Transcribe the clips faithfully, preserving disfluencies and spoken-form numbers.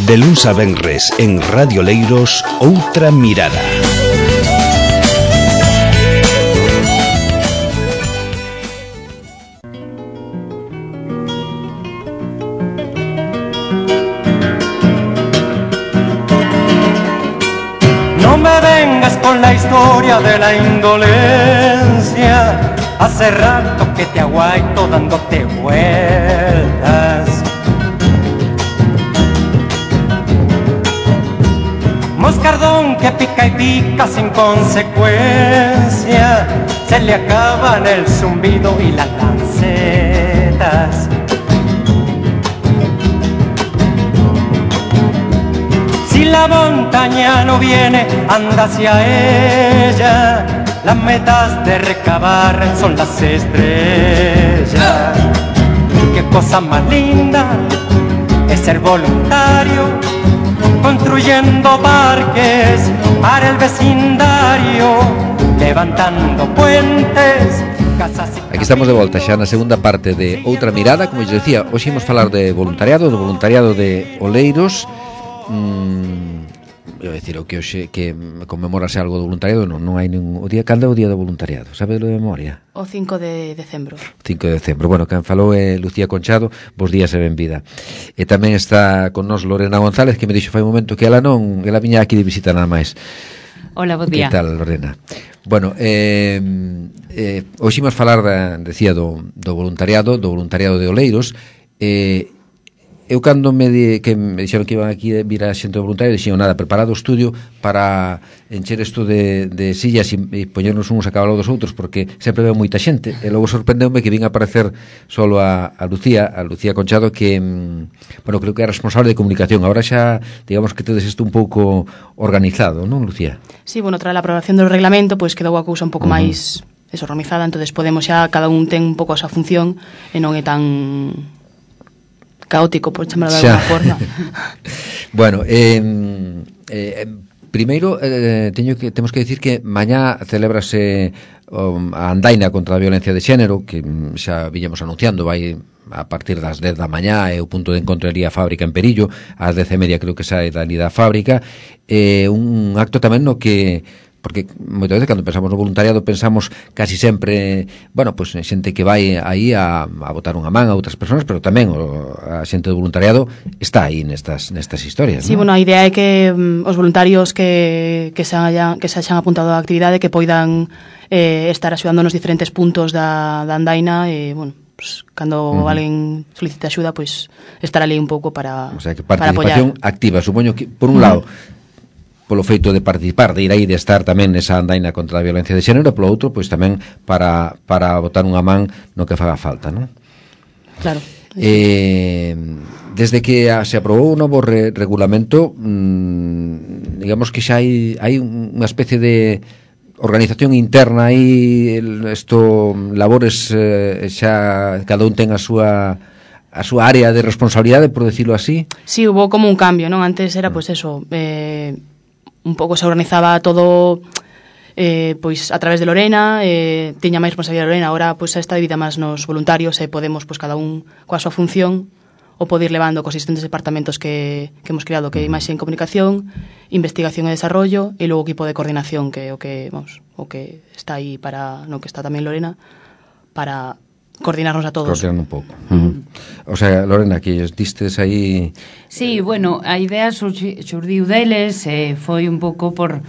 De luns a venres en Radio Leiros, Outra Mirada. No me vengas con la historia de la indolencia. Hace rato que te aguaito dándote vueltas. Moscardón que pica y pica sin consecuencia. Se le acaban el zumbido y las lancetas. Si la montaña no viene, anda hacia ella. Las metas de recabar son las estrellas. Qué cosa más linda es ser voluntario, construyendo parques para el vecindario, levantando puentes, casas y... Aquí estamos de volta xa na segunda parte de Outra Mirada. Como eu decía, hoxe imos falar de voluntariado, do voluntariado de Oleiros. Mm, eu decir, o que hoxe que conmemorase algo do voluntariado, non, non hai ningún... O día, cando é o día do voluntariado? Sabe de memoria? O cinco de decembro. cinco de decembro. Bueno, quen falou é Lucía Conchado. Bos días e benvida. E tamén está con nós Lorena González, que me dixo fai un momento que ela non, ela viña aquí de visita nada máis. Hola, bo día. Que tal, Lorena? Bueno, eh, eh, hoxe imos falar, da, decía, do, do voluntariado, do voluntariado de Oleiros. Eh, eu cando me di, que me dixeron que iban aquí a vir a xente do voluntario, dixeron nada, preparado o estudio para encher isto de, de sillas e, e poñernos uns a cada lado dos outros, porque sempre veo moita xente, e logo sorprendeume que vin aparecer solo a, a Lucía, a Lucía Conchado, que, bueno, creo que é responsable de comunicación. Ahora xa, digamos que tedes isto un pouco organizado, non, Lucía? Sí, bueno, tras a aprobación do reglamento, pois quedou a cousa un pouco uh-huh. máis desorganizada, entonces podemos xa, cada un ten un pouco a súa función, e non é tan... caótico, por chamarlo de alguna forma. Bueno, eh, eh, primeiro eh, teño que, temos que decir que mañá celébrase um, a andaina contra a violencia de xénero, que xa viñamos anunciando, vai a partir das dez da mañá, é o punto de encontro ali a fábrica en Perillo, ás dez e media creo que sae dali da fábrica, eh, un acto tamén no que... porque moitas veces cando pensamos no voluntariado pensamos casi sempre, bueno, pois pues, xente que vai aí a, a botar unha man a outras persoas, pero tamén o, a xente do voluntariado está aí nestas nestas historias. Sí, ¿no? Bueno, a idea é que um, os voluntarios que, que, se hayan, que se hayan apuntado á actividade que poidan eh, estar axudando nos diferentes puntos da, da andaina e, bueno, pues, cando uh-huh. alguén solicita axuda, pois pues, estar ali un pouco para, o sea, que participación activa, supoño que, por un uh-huh. lado, polo feito de participar, de ir aí, de estar tamén nesa andaina contra a violencia de xénero, polo outro, pois tamén para, para botar unha man no que faga falta, non? Claro. Eh, desde que a, se aprobou o novo re, regulamento, mmm, digamos que xa hai, hai unha especie de organización interna aí, isto, labores, eh, xa cada un ten a súa... a súa área de responsabilidade, por decirlo así. Sí, hubo como un cambio, non? Antes era, pois, pues, eso, eh, un pouco se organizaba todo eh, pois a través de Lorena, eh, tiña máis responsabilidade Lorena, agora pois está dividida máis nos voluntarios e podemos, pois, cada un coa súa función o poder ir levando cos existentes departamentos que, que hemos creado, que é imaxe en comunicación, investigación e desarrollo, e logo o equipo de coordinación, que é o que, vamos, o que está aí para, no que está tamén Lorena, para coordinarnos a todos. Coordinar un pouco. Uh-huh. O sea, Lorena, que distes aí... Sí, bueno, a idea xurdiu deles, eh, foi un pouco por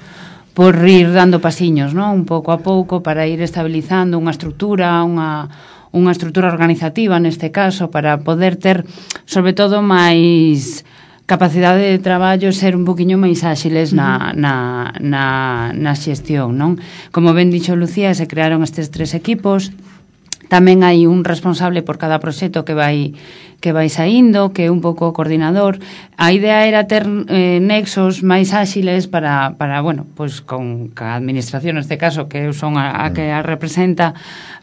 por ir dando pasiños, ¿no? Un pouco a pouco para ir estabilizando unha estrutura, unha unha estrutura organizativa neste caso, para poder ter, sobre todo, máis capacidade de traballo, ser un poquinho máis áxiles na, na, na, na xestión, non? Como ben dixo Lucía, se crearon estes tres equipos. Tamén hai un responsable por cada proxecto que vai que vai saindo, que é un pouco coordinador. A idea era ter eh, nexos máis áxiles para, para bueno, pois con a administración, neste caso, que son a, a que a representa,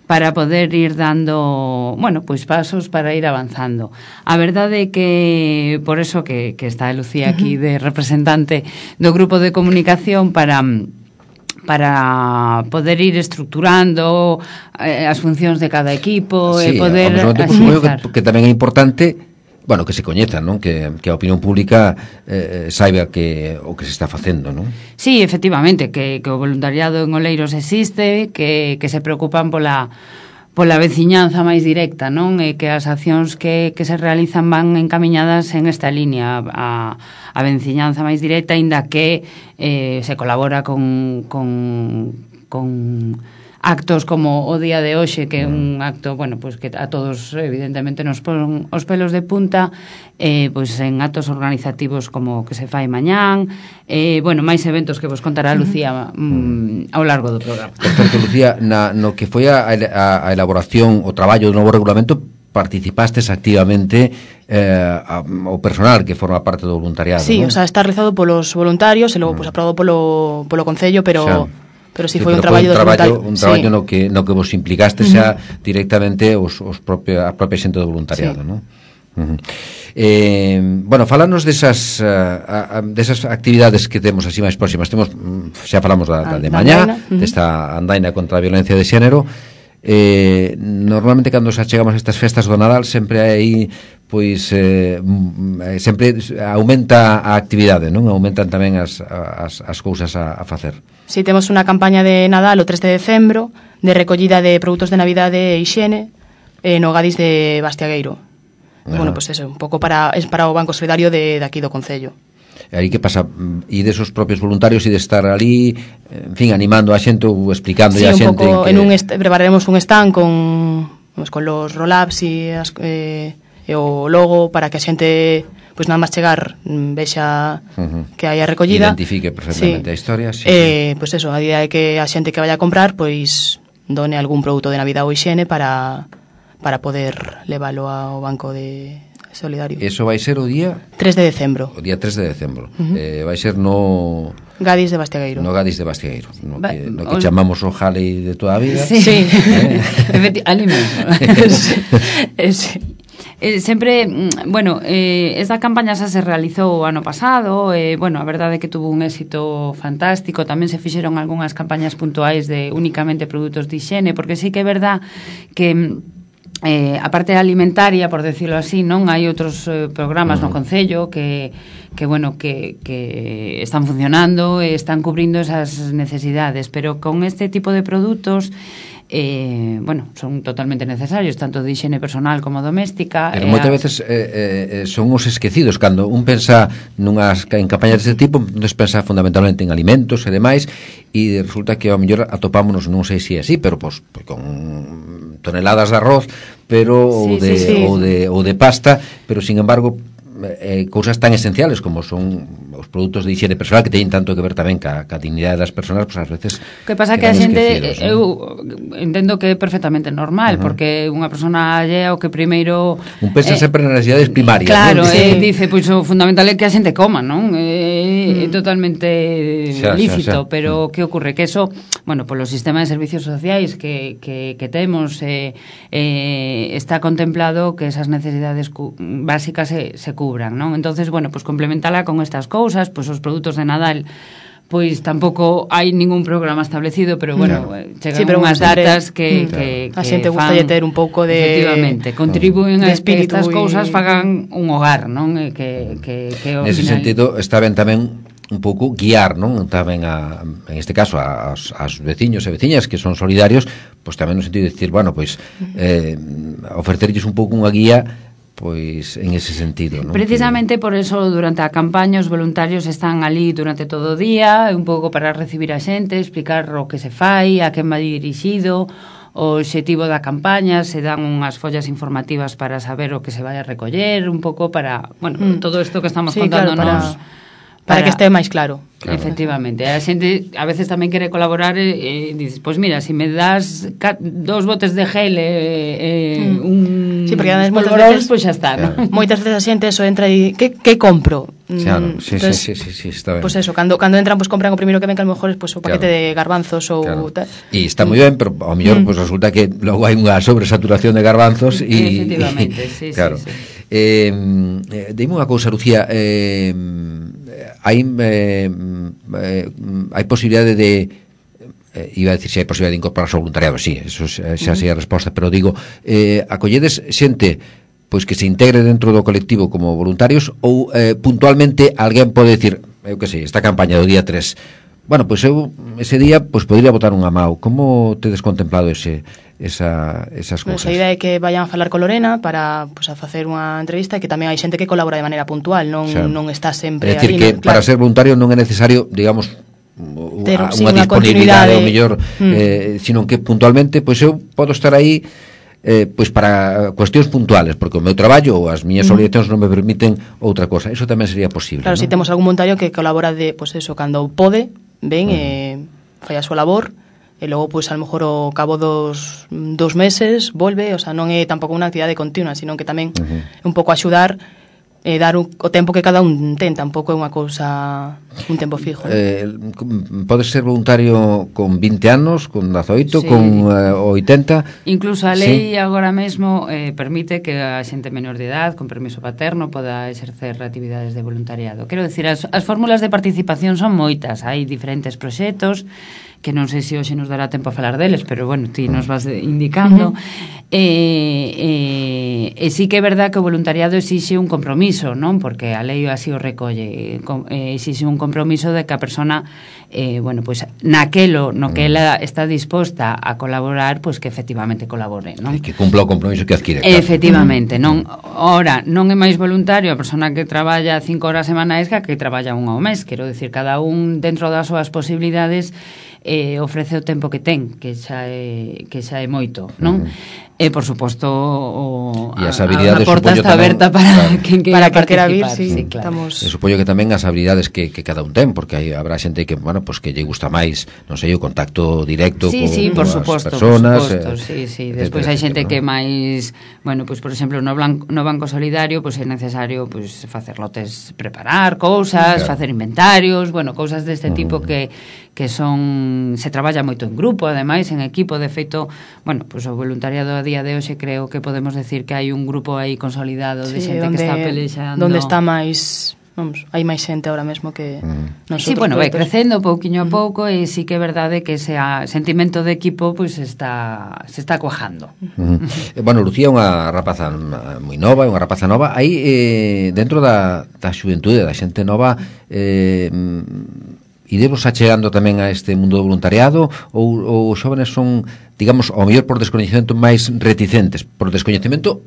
para poder ir dando, bueno, pois pasos para ir avanzando. A verdade é que, por eso que, que está Lucía aquí de representante do grupo de comunicación para... para poder ir estructurando eh, as funcións de cada equipo, sí, e poder agilizar. Que, que tamén é importante bueno, que se coñezan, non? Que, que a opinión pública eh, saiba que o que se está facendo, non? Sí, efectivamente, que, que o voluntariado en Oleiros existe, que, que se preocupan pola pola veciñanza máis directa, non? E que as accións que, que se realizan van encamiñadas en esta línea a, a veciñanza máis directa, aínda que eh, se colabora con, con, con actos como o día de hoxe, que é un acto, bueno, pues que a todos evidentemente nos pon os pelos de punta, eh, pues en actos organizativos como que se fai mañán, eh, bueno, máis eventos que vos contará Lucía mm, ao largo do programa. Por certo, Lucía, na, no que foi a, a, a elaboración, o traballo do novo regulamento, participastes activamente eh, a, o personal que forma parte do voluntariado, Sí, non? o sea, está realizado polos voluntarios e logo, pues, aprobado polo, polo Concello, pero... Xa. Pero si sí, sí, foi un pero traballo un traballo, voluntario. un traballo sí. no que no que vos implicaste xa uh-huh. directamente os, os propio, a propia xente do voluntariado, sí. non? Uh-huh. Eh, bueno, falanos desas uh, desas actividades que temos así máis próximas. Temos xa falamos da, da de mañá, uh-huh. desta andaina contra a violencia de xénero. Eh, normalmente cando xa chegamos a estas festas do Nadal sempre hai pois eh, sempre aumenta a actividade, non? Aumentan tamén as, as, as cousas a, a facer. Si, sí, temos unha campaña de Nadal o tres de decembro de recollida de produtos de Navidade e hixiene eh, no Gadis de Bastiagueiro. Uh-huh. Bueno, pues eso, un pouco para es para o Banco Solidario de, de aquí do Concello. E aí que pasa? E desos propios voluntarios e de estar ali, en fin, animando a xente ou explicando sí, a xente un pouco, que... en un est- prepararemos un stand con, pues, con los roll-ups e, as, eh, e o logo para que a xente, pois pues, nada máis chegar vexa uh-huh. que hai a recollida, identifique perfectamente sí. a historia, sí, eh, pois pues eso, a idea é que a xente que vaya a comprar pois pues, done algún produto de Navidad ou hixiene para para poder leválo ao Banco de Solidario. Eso vai ser o día tres de decembro. O día tres de decembro. Uh-huh. Eh, vai ser no Gadis de Bastiagueiro. No Gadis de Bastiagueiro, no Va, que, no que o... chamamos o Jale de toda a vida. Sí. Sí. Eh? Ali mesmo. Sí. Eh, sempre, bueno, eh, esta campaña xa se realizou o ano pasado, eh, bueno, a verdade é que tuvo un éxito fantástico, tamén se fixeron algunhas campañas puntuais de únicamente produtos de higiene, porque sí que é verdad que eh, a parte alimentaria, por decirlo así, non hai outros eh, programas uh-huh. no Concello que, que bueno, que, que están funcionando e están cubrindo esas necesidades, pero con este tipo de produtos eh, bueno, son totalmente necesarios, tanto de higiene personal como doméstica. Pero moitas veces eh, eh, son os esquecidos, cando un pensa nunhas en campañas deste tipo, non pensa fundamentalmente en alimentos e demais, e resulta que ao mellor atopámonos, non sei se é así, pero pois, pues, con toneladas de arroz, pero sí, ou de sí, sí. ou de ou de pasta, pero sin embargo eh, cousas tan esenciales como son os produtos de higiene personal que teñen tanto que ver tamén ca, ca dignidade das persoas, pois pues, ás veces que pasa que a xente, ¿no? eu entendo que é perfectamente normal, uh-huh. porque unha persona allea o que primeiro un pensa eh, sempre nas necesidades primarias, claro, ¿no? eh, dice, pois pues, o fundamental é que a xente coma, non? É, é totalmente xa, lícito, xa, xa. Pero que ocorre? Que eso, bueno, polo sistema de servicios sociais que, que, que temos eh, eh, está contemplado que esas necesidades cu- básicas se, se cubran, non? Entonces, bueno, pues complementala con estas cousas, pues os produtos de Nadal pois tampouco hai ningún programa establecido, pero bueno, no. chegan sí, pero unhas datas que, claro. que, que a xente gusta de ter un pouco de efectivamente, contribuen de a que estas y... cousas fagan un hogar, non? Que, que, que nese final... sentido está ben tamén un pouco guiar, non? Tamén a, en este caso aos, aos veciños e veciñas que son solidarios, pois tamén no sentido de decir, bueno, pois eh, ofrecerlles un pouco unha guía pois en ese sentido, non? Precisamente por eso durante a campaña os voluntarios están ali durante todo o día, un pouco para recibir a xente, explicar o que se fai, a quen vai dirixido, o obxectivo da campaña, se dan unhas follas informativas para saber o que se vai a recoller, un pouco para, bueno, mm. todo isto que estamos sí, contándonos claro, para... Para, para que este máis claro. Claro. Efectivamente, a xente a veces tamén quere colaborar e, e dices, pois pues mira, se si me das ca- dos botes de gel e eh, mm. un sí, porque además moitas veces pois pues xa está, claro. ¿no? Moitas veces a xente eso entra e que que compro? Claro, sí, Entonces, sí, sí, sí, está ben. Pues eso, cando cando entran pues compran o primeiro que ven, que a lo mejor es pues o paquete claro. de garbanzos ou claro. tal. E está moi ben, pero ao mellor mm. pues resulta que logo hai unha sobresaturación de garbanzos e efectivamente, sí, claro. sí, sí. Eh, eh, dime unha cousa, Lucía, eh, hai eh, eh, hai posibilidade de eh, iba a decir se hai posibilidade de incorporarse ao voluntariado, sí, eso xa sei a resposta, pero digo, eh, acolledes xente pois que se integre dentro do colectivo como voluntarios, ou eh, puntualmente alguén pode decir, eu que sei, esta campaña do día tres, bueno, pois eu ese día pois podría botar unha mao. Como tedes contemplado ese esa esas cousas? Pues a idea é que vayan a falar con Lorena para pues, a facer unha entrevista, e que tamén hai xente que colabora de maneira puntual, non, xa, non está sempre é dicir ali, que non, para claro. ser voluntario non é necesario, digamos, Ter, unha, sí, unha unha disponibilidade continuidade. ou mellor, mm. eh, sino que puntualmente pois eu podo estar aí eh, pois para cuestións puntuales, porque o meu traballo ou as miñas Mm. obligacións non me permiten outra cosa. Eso tamén sería posible, Claro, ¿no? si temos algún voluntario que colabora de, pues eso, cando pode, ven Mm. e fai a súa labor, e logo, pois, a lo mejor ao cabo dos, dos meses volve, o sea, non é tampouco unha actividade continua, sino que tamén Uh-huh. é un pouco axudar e dar un, o tempo que cada un ten, tampouco é unha cousa, un tempo fijo. Eh, podes ser voluntario con vinte anos, con dezaoito, Sí. con eh, oitenta. Incluso a lei Sí. agora mesmo eh, permite que a xente menor de edad con permiso paterno poda exercer actividades de voluntariado. Quero dicir, as, as fórmulas de participación son moitas, hai diferentes proxectos que non sei se hoxe nos dará tempo a falar deles, pero bueno, ti nos vas indicando. Uh-huh. E, e, e sí que é verdad que o voluntariado exixe un compromiso, non? Porque a lei así o recolle, eh, exixe un compromiso de que a persona eh, bueno, pues naquelo no que ela está disposta a colaborar, pues que efectivamente colabore, non? Que cumpla o compromiso que adquire, claro. Efectivamente, non, ora, non é máis voluntario a persona que traballa cinco horas semanais que a que traballa unha ao mes, quero dicir, cada un dentro das súas posibilidades eh, ofrece o tempo que ten, que xa é, que xa é moito, non? Uh-huh. E, por suposto, o, e as a, habilidades, a porta está tamén, aberta para claro, quen para queira que quera vir, participar. sí, Sí, claro. estamos... E supoño que tamén as habilidades que, que cada un ten, porque hai, habrá xente que, bueno, pues que lle gusta máis, non sei, o contacto directo Sí, co, sí, por coas suposto, personas, por suposto, eh, sí, sí. etcétera, Despois hai xente etcétera, que ¿no? máis, bueno, pois pues, por exemplo, no, blanco, no Banco Solidario, pois pues, é necesario pois pues, facer lotes, preparar cousas, Claro. facer inventarios, bueno, cousas deste Uh-huh. tipo que que son, se traballa moito en grupo, ademais, en equipo, de feito, bueno, pois pues, o voluntariado a día de hoxe creo que podemos decir que hai un grupo aí consolidado de Sí, xente onde, que está pelexando. donde está máis, vamos, hai máis xente ahora mesmo que Mm. nosotros. Sí, bueno, vai propios. crecendo pouquiño a pouco e sí que é verdade que ese a, sentimento de equipo pois pues, está se está cuajando. Uh-huh. Eh, bueno, Lucía é unha rapaza moi nova, é unha rapaza nova. Aí eh, dentro da, da xuventude, da xente nova, eh, idevos achegando tamén a este mundo do voluntariado, ou, ou os xóvenes son, digamos, ao mellor por descoñecemento máis reticentes, por descoñecemento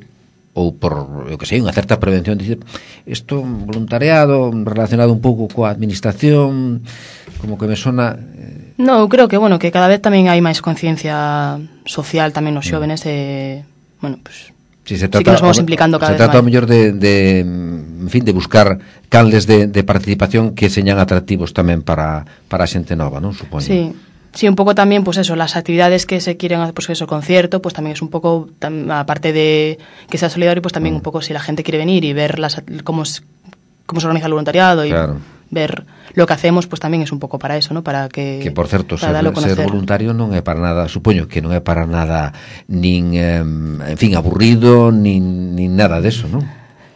ou por, eu que sei, unha certa prevención, dicir, isto voluntariado relacionado un pouco coa administración, como que me sona... Eh... No, eu creo que, bueno, que cada vez tamén hai máis conciencia social tamén nos xóvenes e, bueno, pues, sí, se trata, sí que nos vamos implicando cada se vez trata máis. ao mellor de, de, en fin, de buscar canles de, de participación que señan atractivos tamén para, para a xente nova, non? Supoño. Sí. Sí, un pouco tamén, pues eso, las actividades que se quieren hacer, pues eso, concierto, pues tamén es un pouco, tam, aparte de que sea solidario, pues tamén mm. un pouco si la gente quiere venir y ver las, cómo, cómo se organiza el voluntariado y claro. ver lo que hacemos, pues tamén es un pouco para eso, ¿no? Para que... Que, por certo, ser, ser voluntario non é para nada, supoño que non é para nada nin, eh, en fin, aburrido, nin, nin nada deso, non?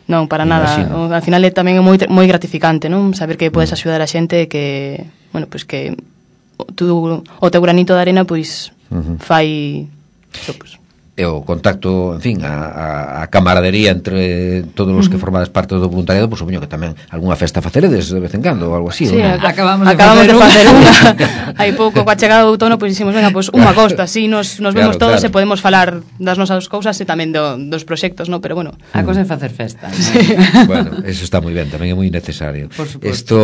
Non, para Imagino. nada. Al final é tamén moi moi gratificante, non? Saber que podes axudar a xente que, bueno, pues que tu, o teu granito de arena pois uh-huh. fai so, pues. E o contacto, en fin, a, a, a camaradería entre todos os que formades parte do voluntariado, pois supoño que tamén algunha festa faceredes de vez en cando ou algo así, sí, ¿no? acabamos de acabamos facer de facer unha. unha. Hai pouco coa chegada do outono, pois dixemos, venga, pois unha costa, así nos, nos Claro, vemos todos claro. e podemos falar das nosas cousas e tamén do, dos proxectos, ¿no? Pero bueno. A cosa é facer festa, ¿no? Sí. Bueno, eso está moi ben, tamén é moi necesario. Por suposto. Esto,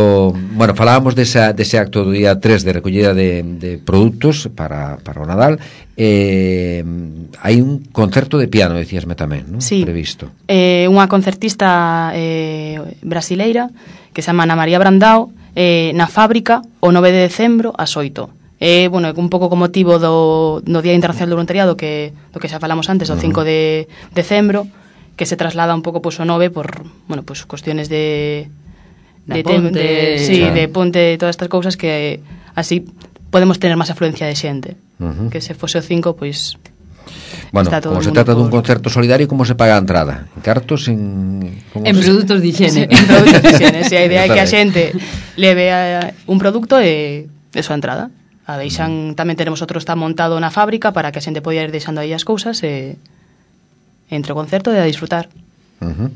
bueno, falábamos desa, dese acto do día tres de recollida de, de produtos para, para o Nadal. Eh, hai un concerto de piano, decíasme tamén, non? Sí. Previsto. Eh, unha concertista eh, brasileira que se chama Ana María Brandao, eh, na Fábrica o nove de decembro ás oito. Eh, bueno, un pouco con motivo do, do Día Internacional do Voluntariado, que do que xa falamos antes, do cinco de decembro, que se traslada un pouco pois o nove por, bueno, pois cuestiones de de de, ponte, de, sí, claro. de ponte, todas estas cousas que así podemos tener máis afluencia de xente. Uh-huh. Que se fose o cinco, pois Bueno, está todo como o se mundo trata dun por... concerto solidario, como se paga a entrada? En cartos, en... como En se... produtos de higiene. en produtos de higiene. Si a idea é que a Está xente leve a un produto e de súa entrada. A deixan, tamén tenemos outro está montado na fábrica para que a xente poida ir deixando aí as cousas e entre o concerto e a disfrutar. Uh-huh.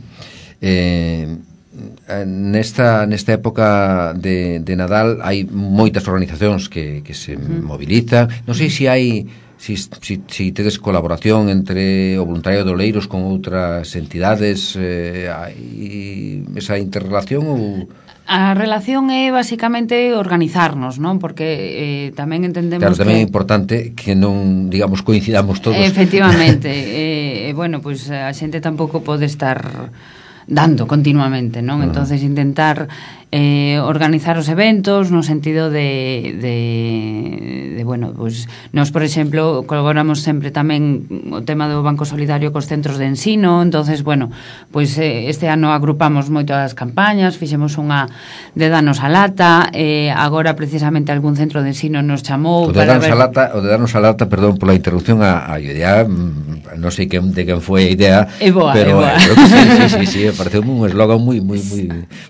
Eh, nesta, nesta época de, de Nadal hai moitas organizacións que, que se uh-huh. movilizan. Non sei se hai si, si, si tedes colaboración entre o voluntariado de Oleiros con outras entidades, eh, hai esa interrelación ou... A relación é basicamente organizarnos, non? Porque eh, tamén entendemos claro, tamén que... é importante que non, digamos, coincidamos todos. Efectivamente, e eh, bueno, pois pues, a xente tampouco pode estar dando continuamente, non? Uh-huh. Entonces intentar eh, organizar os eventos no sentido de, de, de bueno, pues nos, por exemplo, colaboramos sempre tamén o tema do Banco Solidario cos centros de ensino, entonces, bueno, pues eh, este ano agrupamos moito as campañas, fixemos unha de danos a lata, eh, agora precisamente algún centro de ensino nos chamou o de para darnos ver... a lata, o de darnos a lata, perdón pola interrupción, a, a idea, non sei quen, de quen foi a idea, é boa, pero é boa. Eh, creo que sí, sí, sí, sí, pareceu un eslogan moi moi moi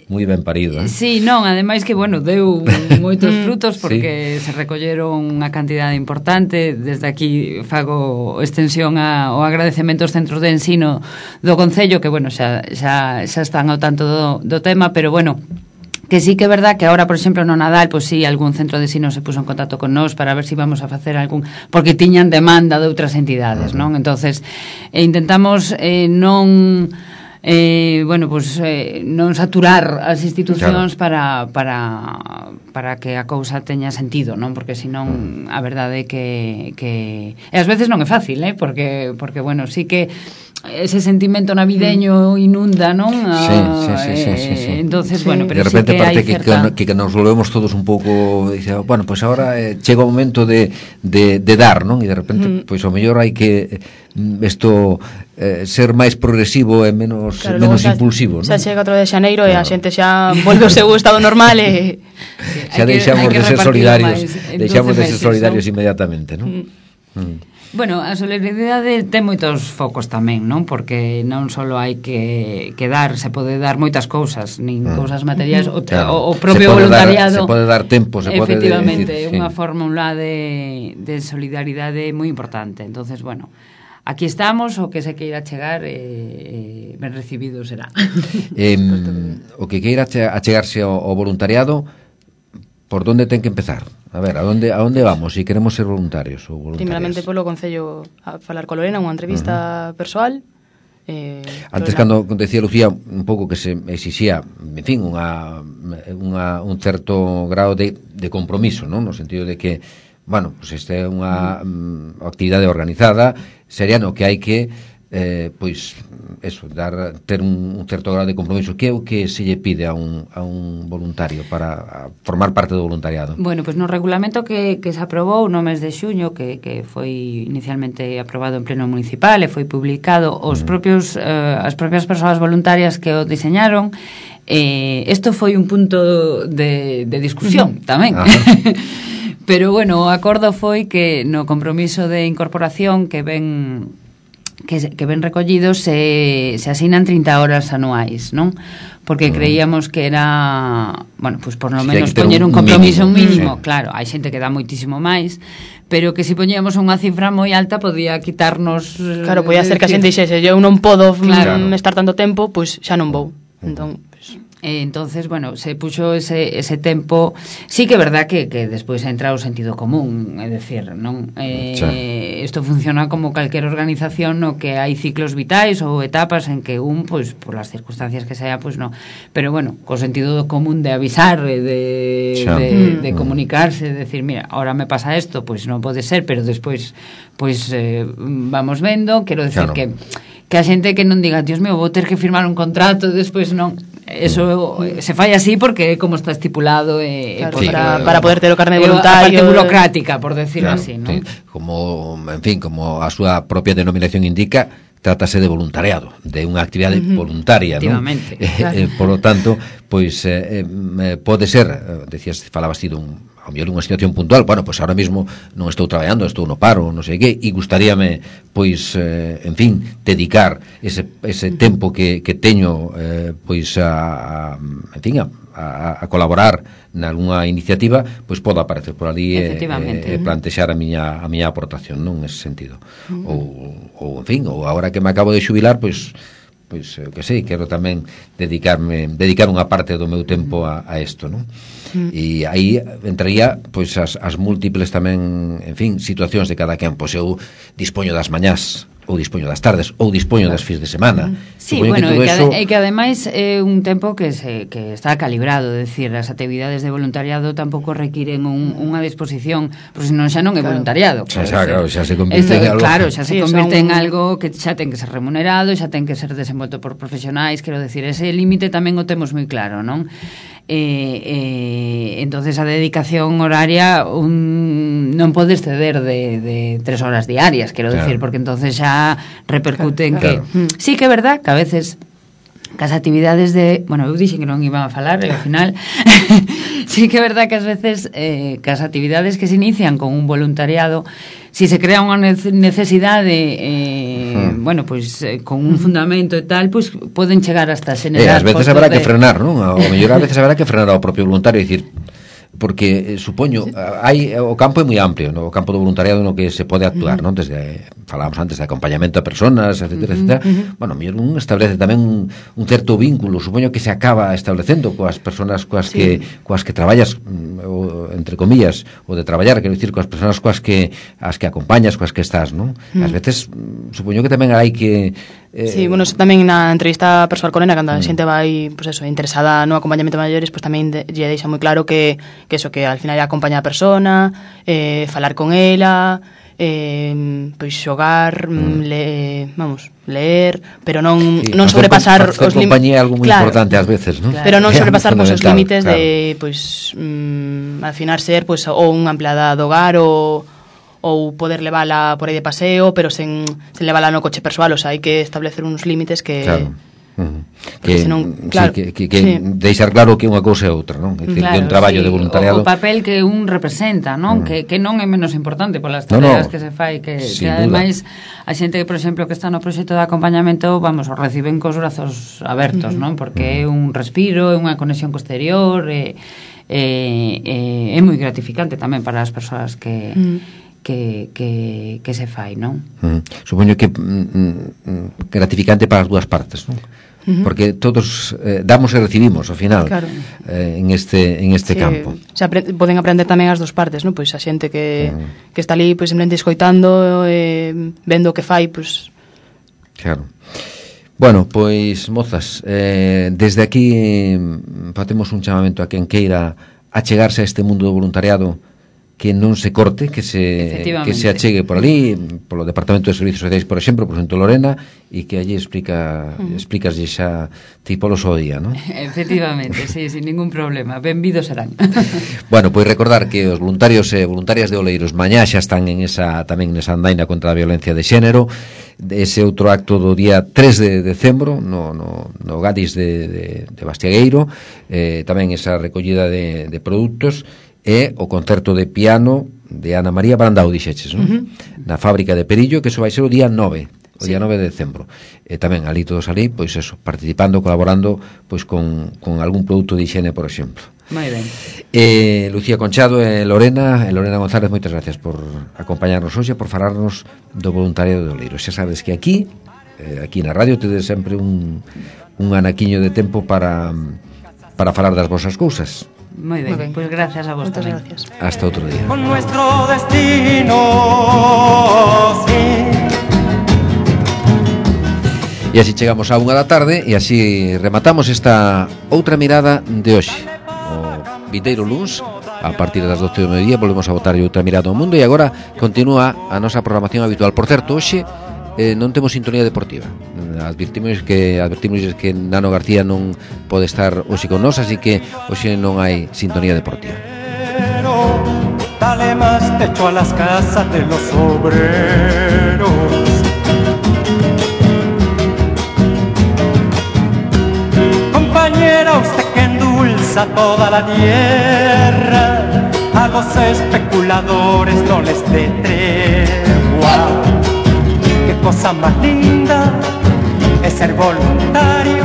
moi ben parido, eh? Sí, non, ademais que, bueno, deu moitos frutos porque sí. Se recolleron unha cantidade importante. Desde aquí fago extensión a, o agradecemento aos centros de ensino do Concello, que, bueno, xa, xa, xa están ao tanto do, do tema, pero, bueno, que sí que é verdad que agora, por exemplo, no Nadal, pois pues, sí, algún centro de ensino se puso en contacto con nós para ver se si vamos a facer algún, porque tiñan demanda de outras entidades, non? Entonces, eh, intentamos eh, non eh, bueno, pues eh, non saturar as institucións claro. para, para, para que a cousa teña sentido, non? Porque senón a verdade é que, que e ás veces non é fácil, eh? Porque, porque bueno, sí que ese sentimento navideño inunda, non? Sí, sí, sí, sí, sí, sí. Entonces, sí. bueno, pero de repente sí que parte hai que, certa... que, que nos volvemos todos un pouco, dice, bueno, pues ahora eh, chega o momento de, de, de dar, non? E de repente, mm. pois pues, ao mellor hai que isto eh, ser máis progresivo e menos claro, menos xa, impulsivo, xa non? Xa chega outro de xaneiro claro. E a xente xa volve ao seu estado normal e sí, xa deixamos de ser solidarios, deixamos de ser solidarios ¿no? Inmediatamente, non? Mm. Mm. Bueno, a solidaridade ten moitos focos tamén, non? Porque non só hai que, que dar, se pode dar moitas cousas, nin mm. cousas materiais, o, claro. o, o propio se voluntariado. Dar, se pode dar tempo, se pode efectivamente, decir, unha sí. fórmula de, de solidaridade moi importante. Entonces, bueno, aquí estamos, o que se queira chegar eh, eh, ben recibido será. Eh, o que queira achegarse ao, ao voluntariado, por onde ten que empezar? A ver, a onde, a onde vamos, se si queremos ser voluntarios ou voluntarias? Primeramente polo Concello a falar con Lorena, unha entrevista uh-huh. persoal. Eh, Antes, Lorena... cando decía Lucía un pouco que se exixía, en fin, unha, unha, un certo grado de, de compromiso, non? No sentido de que, bueno, pues esta é unha uh-huh. um, actividade organizada, sería no que hai que Eh, pois eso, dar ter un, un certo grado de compromiso. Que é o que se lle pide a un, a un voluntario para formar parte do voluntariado? Bueno, pois no regulamento que, que se aprobou no mes de xuño, que, que foi inicialmente aprobado en pleno municipal e foi publicado, os mm. propios eh, as propias persoas voluntarias que o diseñaron, eh, isto foi un punto de, de discusión tamén. Pero bueno, o acordo foi que no compromiso de incorporación que ven que, que ven recollidos se, se asinan trinta horas anuais, non? Porque creíamos que era, bueno, pues por lo menos sí, poñer un, un compromiso mínimo, mínimo. Sí. Claro, hai xente que dá moitísimo máis, pero que se si poñíamos unha cifra moi alta podía quitarnos. Claro, podía ser que a xente dixese, eu non podo claro. estar tanto tempo, pois xa non vou. Entón, pues... Eh, entonces, bueno, se puxo ese, ese tempo. Sí que é verdad que, que despois entra o sentido común, é decir, non? Eh, isto funciona como calquer organización no que hai ciclos vitais ou etapas en que un, pois, por las circunstancias que sea, pois non. Pero bueno, co sentido común de avisar, de, de, de comunicarse, de decir, mira, ahora me pasa isto, pois non pode ser, pero despois, pois, eh, vamos vendo, quero decir claro. que que a xente que non diga, Dios mío, vou ter que firmar un contrato e despois non. Eso se fai así porque como está estipulado eh, claro, sí, para, para poder ter o carné voluntario, a parte burocrática, por decirlo claro, así, ¿no? Sí. Como, en fin, como a súa propia denominación indica, trátase de voluntariado, de unha actividade uh-huh. voluntaria, non? Claro. Eh, eh, por lo tanto, pois eh, eh, pode ser, eh, decías, falabas ti dun ao mellor unha situación puntual, bueno, pois ahora mesmo non estou traballando, estou no paro, non sei que, e gustaríame, pois, eh, en fin, dedicar ese, ese tempo que, que teño, eh, pois, a, a, en fin, a, a, a colaborar nalgúna iniciativa, pois podo aparecer por ali e eh, eh, plantexar a miña, a miña aportación, non, nese sentido. Uh-huh. Ou, ou, en fin, ou agora que me acabo de xubilar, pois, pois, eu que sei, quero tamén dedicarme, dedicar unha parte do meu tempo a, a isto, non? Mm. E aí entraría, pois, as, as múltiples tamén, en fin, situacións de cada quen. Pois eu dispoño das mañás, ou dispoño das tardes, ou dispoño das fins de semana. Sí, Supoño bueno, que e que, eso... ade, que ademais é un tempo que se que está calibrado, é dicir, as actividades de voluntariado tampouco requiren un, unha disposición, porque senón xa non é voluntariado. Xa, xa, claro, xa se Esto, convirte en algo. Claro, xa se sí, convirte un... en algo que xa ten que ser remunerado, xa ten que ser desenvolto por profesionais, quero decir, ese límite tamén o temos moi claro, non? Eh, eh, entonces a dedicación horaria un, non pode exceder de, de tres horas diarias, quero claro. decir, porque entonces xa repercute en claro. que claro. sí que é verdad que a veces que as actividades de, bueno, eu dixen que non iban a falar e ao final sí que é verdad que ás veces eh, que as actividades que se inician con un voluntariado, si se crea unha necesidade eh, hmm. bueno, pois pues, eh, con un fundamento e tal, pois pues, poden chegar hasta xenerar eh, ás veces habrá de... que frenar, non? O mellor ás veces habrá que frenar ao propio voluntario e dicir, porque eh, supoño hai o campo é moi amplio, no? O campo do voluntariado no que se pode actuar, uh-huh. non? Desde falábamos antes de acompañamento a personas, etcétera, uh-huh, etcétera. Uh-huh. Bueno, mellor un establece tamén un, un certo vínculo, supoño que se acaba establecendo coas persoas coas sí. que coas que traballas, o, entre comillas, o de traballar, quero dicir, coas persoas coas que as que acompañas, coas que estás, non? Uh-huh. Ás veces supoño que tamén hai que Eh, sí, bueno, tamén na entrevista persoal con Ena, cando a xente vai, pues eso, interesada no acompañamento de maiores, pues tamén de, lle deixa moi claro que, que eso, que al final é acompañar a persona, eh, falar con ela, eh, pois xogar, mm. le, vamos, leer, pero non, sí, non sobrepasar os límites. Compañía é algo moi claro, importante ás veces, non? Claro. Pero non sobrepasar pues, os límites claro. de, pois, mm, al final ser, pues, ou unha empleada do hogar ou ou poder levala por aí de paseo, pero sen, sen levala no coche persoal, o sea, hai que establecer uns límites que... Claro. Uh-huh. Que, senón, claro, sí, que, que, que sí. deixar claro que unha cousa é outra, non? Que, claro, que un traballo sí. de voluntariado. O, o papel que un representa, non? Uh-huh. Que, que non é menos importante polas tareas no, no. que se fai, que, que ademais a xente, por exemplo, que está no proxecto de acompañamento, vamos, o reciben cos brazos abertos, uh-huh. non? Porque uh-huh. é un respiro, é unha conexión co exterior, é, é, é, é moi gratificante tamén para as persoas que... Uh-huh. Que, que, que se fai, non? Mm. Supoño que mm, gratificante para as dúas partes, non? Uh-huh. Porque todos eh, damos e recibimos ao final claro. eh, en este en este sí, campo. Se apre- poden aprender tamén as dúas partes, non? Pois a xente que, uh-huh. que está ali pois simplemente escoitando, eh, vendo o que fai, pois claro. Bueno, pois mozas, eh, desde aquí facemos un chamamento a quen queira achegarse a este mundo do voluntariado, que non se corte, que se que se achegue por ali, polo Departamento de Servicios Sociais, por exemplo, por exemplo, Lorena, e que allí explica uh-huh. explicaslle xa tipos ao día, non? Efectivamente, sí, sin ningún problema. Benvidos serán. Bueno, pois recordar que os voluntarios e voluntarias de Oleiros mañá xa están en esa tamén nesa andaina contra a violencia de xénero. Ese outro acto do día tres de decembro no, no, no Gadis de, de, de Bastiagueiro, eh, tamén esa recollida de, de produtos e o concerto de piano de Ana María Brandao, dixeches, non? Uh-huh. Na fábrica de Perillo, que eso vai ser o día nove, o sí. día nove de decembro. E tamén ali todos ali, pois eso, participando, colaborando, pois con, con algún produto de higiene, por exemplo. Moi ben. Eh, Lucía Conchado e Lorena, e Lorena González, moitas gracias por acompañarnos hoxe, por falarnos do voluntariado de Oleiros. Xa sabes que aquí, eh, aquí na radio, tedes sempre un, un anaquiño de tempo para, para falar das vosas cousas. Moi ben, pois pues gracias a vos tamén. Gracias. Hasta outro día. Con nuestro destino, sí. E así chegamos a unha da tarde e así rematamos esta outra mirada de hoxe. O vindeiro luns, a partir das doce do mediodía, volvemos a botar outra mirada ao mundo e agora continúa a nosa programación habitual. Por certo, hoxe eh, non temos sintonía deportiva. Advertimos que advertimos que Nano García non pode estar hoxe con nós, así que hoxe non hai sintonía deportiva. Dale más techo a las casas de los obreros. Compañera, usted que endulza toda la tierra, a los especuladores no les dé tregua. Qué cosa más linda es ser voluntario